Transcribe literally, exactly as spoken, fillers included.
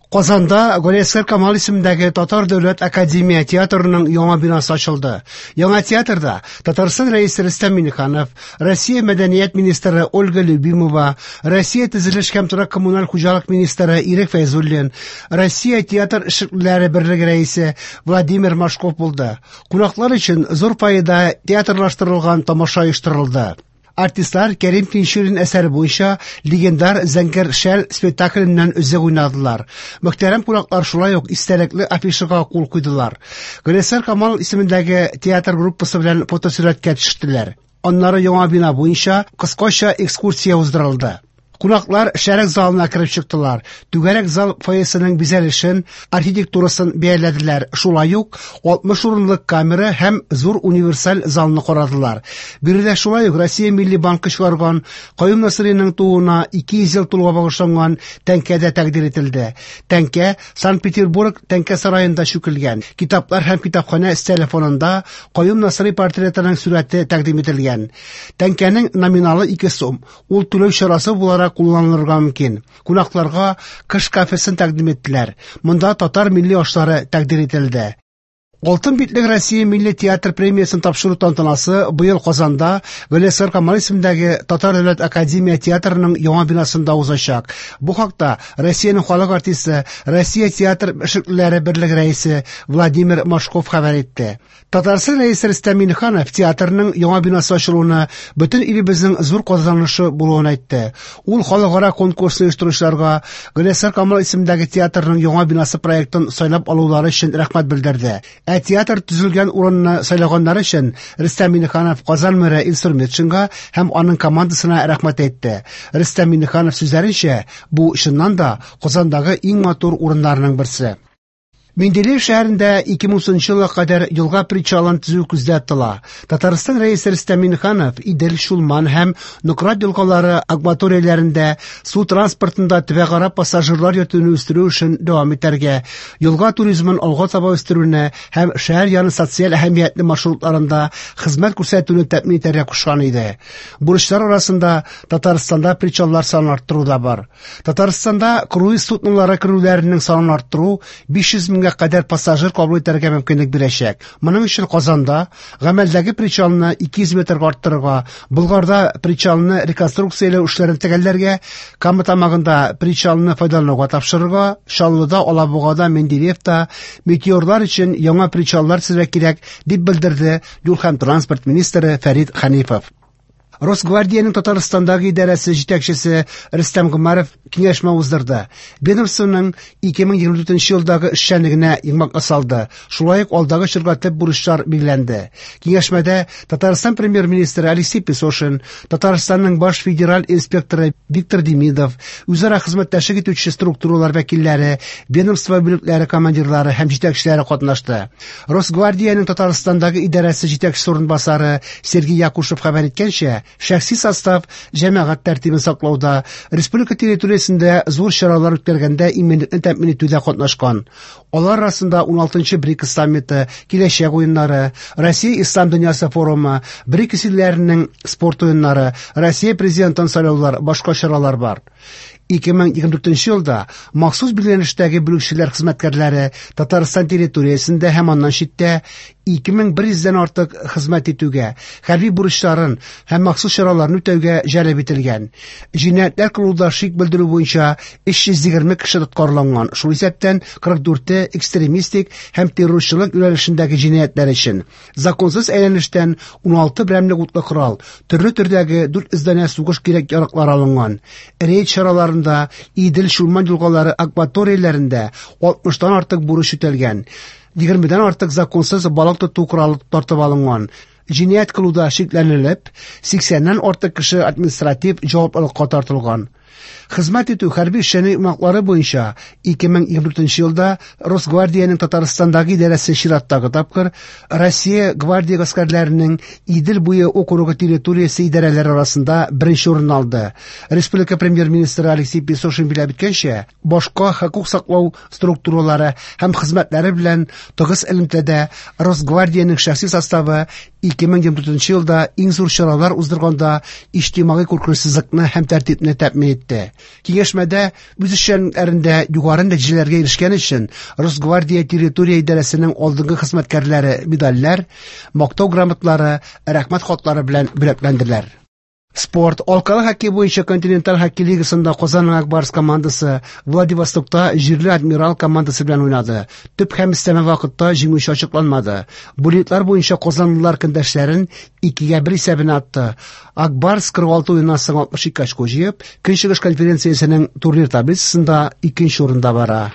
Казанда Галиәсгар Камал исемендәге Татар дәүләт академия театрының яңа бинасы ачылды. Яңа театрда Татарстан Рәисе Рөстәм Миңнеханов, Россия мәдәният министры Ольга Любимова, Россия төзелеш һәм торак коммуналь хуҗалык министры Ирек Фәйзуллин, Россия театр эшлеклеләре берлеге рәисе Владимир Машков булды. Кунаклар өчен зур фойеда театрлаштырылган тамаша оештырылды. Артистлар Кәрим Тинчурин әсәре буенча легендар Зәңгәр шәл спектакленнән өзек уйнадылар. Мөхтәрәм кунаклар шулай ук истәлекле афишага кул куйдылар. Галиәсгар Камал исемендәге театр группасы белән фотосурәткә төштеләр. Аннары яңа бина буенча кыскача экскурсия уздырылды. Кунаклар шәрык залына кереп чыктылар. Түгәрәк зал фойесының бизәлешен, архитектурасын бәяләделәр. Шулай ук алтмыш урынлык камера һәм зур универсаль залны карадылар. Биредә шулай ук Россия Милли банкы чыгарган Каюм Насыйриның тууына ике йөз ел тулуга багышланган тәңкә дә тәкъдир ителде. Тәңкә Санкт-Петербург тәңкә сараенда чүкелгән. Китаплар һәм китапханә өстәле фонында Каюм Насыйри портретының сурәте тәкъдим ителгән. Тәңкәнең номиналы ике сум. Ул түләү чарасы буларак кулланылырга мөмкин. Кунакларга кыш кафесын тәкъдим иттеләр. Монда татар милли ашлары тәкъдир ителде. Алтын битлек Россия милли театр премиясын тапшыру тантанасы быел Казанда Галиәсгар Камал исемендәге Татар дәүләт академия театрының яңа бинасында узачак. Бу хакта Россиянең халык артисты, Россия театр эшлеклеләре берлеге рәисе Владимир Машков хәбәр итте. Татарстан Рәисе Рөстәм Миңнеханов театрның яңа бинасы ачылуына бөтен илебезнең зур казанышы булуын әйтте. Ул халыкара конкурсны оештыручыларга Галиәсгар Камал исемендәге театрның яңа бинасы проектын сайлап алулары өчен рәхмәт белдерде. Ә театр төзелгән урынны сайлаганнары өчен Рөстәм Миңнеханов Казан мэры Илсур Метшинга һәм аның командасына рәхмәт әйтте. Рөстәм Миңнеханов сүзләренчә, бу чыннан да Казандагы иң матур урыннарның берсе. Менделеев шәһәрендә ике мең унынчы елга кадәр елга причалын төзү күздә тотыла. Татарстан Рәисе Рөстәм Миңнеханов Идел, Чулман һәм Нократ елгалары акваторияләрендә су транспортында төбәкара пассажирлар йөртүне үстерү эшен дәвам итәргә, елга туризмын алга таба үстерүне һәм шәһәр яны социаль әһәмиятле маршрутларында хезмәт күрсәтүне тәэмин итәргә кушкан иде. Бурычлар арасында Татарстанда причаллар санын арттыру да бар. Татарстанда круиз суднолары керүләренең санын арттыру биш йөз меңгә кадәр пассажир кабул итәргә мөмкинлек бирәчәк. Моның өчен Казанда гамәлдәге причалны ике йөз метрга арттырырга, Болгарда причалны реконструкцияләү эшләрен төгәлләргә, Кама тамагында причалны файдалануга тапшырырга, Чаллыда, Алабугада, Менделеевта метеорлар өчен яңа причаллар төзергә кирәк, дип белдерде юл һәм транспорт министры Фәрит Хәнифов. Росгвардиянең Татарстандагы идарәсе җитәкчесе Рөстәм Гомәров киңәшмә уздырды. Ведомствоның ике мең егерме дүртенче елдагы эшчәнлегенә йомгак ясалды. Шулай ук алдагы чорга төп бурычлар билгеләнде. Киңәшмәдә Татарстан премьер-министры Алексей Песошин, Татарстанның баш федераль инспекторы Виктор Демидов, үзара хезмәттәшлек итүче структуралар вәкилләре, ведомство бүлекләре командирлары һәм җитәкчеләре катнашты. Росгвардиянең Татарстандагы идарәсе җитәкчесе урынбасары Сергей Якушев хәбәр иткәнчә, шәхси состав җәмәгать тәртибен саклауда, республика территориясендә зур чаралар үткәргәндә иминлекне тәэмин итүдә катнашкан. Алар арасында уналтынчы БРИКС саммиты, киләчәк уеннары, Россия Ислам дөньясы форумы, БРИКС илләренең спорт уеннары, Россия президентын сайлаулар, башка чаралар бар. Ике мең егерме дүртенче елда махсус билгеләнештәге бүлекчәләр хезмәткәрләре Татарстан территориясендә һәм аннан читтә ике мең бер йөздән артык хезмәт итүгә, хәрби бурычларын һәм махсус чараларны үтәүгә җәлеп ителгән. Җинаятьләр кылуда шик белдерү буенча өч йөз егерме кеше тоткарланган, шул исәптән кырык дүрте экстремистик һәм террорчылык юнәлешендәге җинаятьләр өчен. Законсыз әйләнештән уналты берәмлек утлы корал, төрле төрдәге дүрт йөз данә сугыш кирәк-яраклары алынган. Рейд чараларында Идел Чулман елгалары акваторияләрендә алтмыштан артык бурыч үтәлгән. Егермедән артык законсыз балык тоту коралы тартып алынган. Җинаять кылуда шикләнелеп, сиксәннән артык кеше административ җаваплылыкка тартылган. Хезмәт итү хәрби эшчәнлек йомгаклары буенча ике мең егерме дүртенче елда Росгвардиянең Татарстандагы идарәсе чираттагы тапкыр Россия гвардия гаскәрләренең Идел буе округы территориясе идарәләре арасында беренче урын алды. Республика премьер-министры Алексей Песошин билгеләп үткәнчә, башка хокук саклау структуралары һәм хезмәтләре белән тыгыз элемтәдә Росгвардиянең шәхси составы ике мең егерме дүртенче елда иң зур чаралар уздырганда иҗтимагый куркынычсызлыкны һәм тәртипне тәэмин итте. Киңәшмәдә үз эшчәнлекләрендә югары нәтиҗәләргә ирешкән өчен Росгвардия территория идарәсенең алдынгы хезмәткәрләре медальләр, мактау грамоталары, рәхмәт хатлары белән бүләкләнделәр. Спорт. Алкалы хоккей буенча континенталь хоккей лигасында Казанның Ак Барс командасы Владивостокта җирле Адмирал командасы белән уйнады. Төп һәм өстәмә вакытта җиңүче ачыкланмады. Буллитлар буенча казанлылар көндәшләрен икегә бер исәбенә атты. Ак Барс кырык алты уеннан соң алтмыш ике очко җыеп, Көнчыгыш конференциясенең турнир таблицасында икенче урында бара.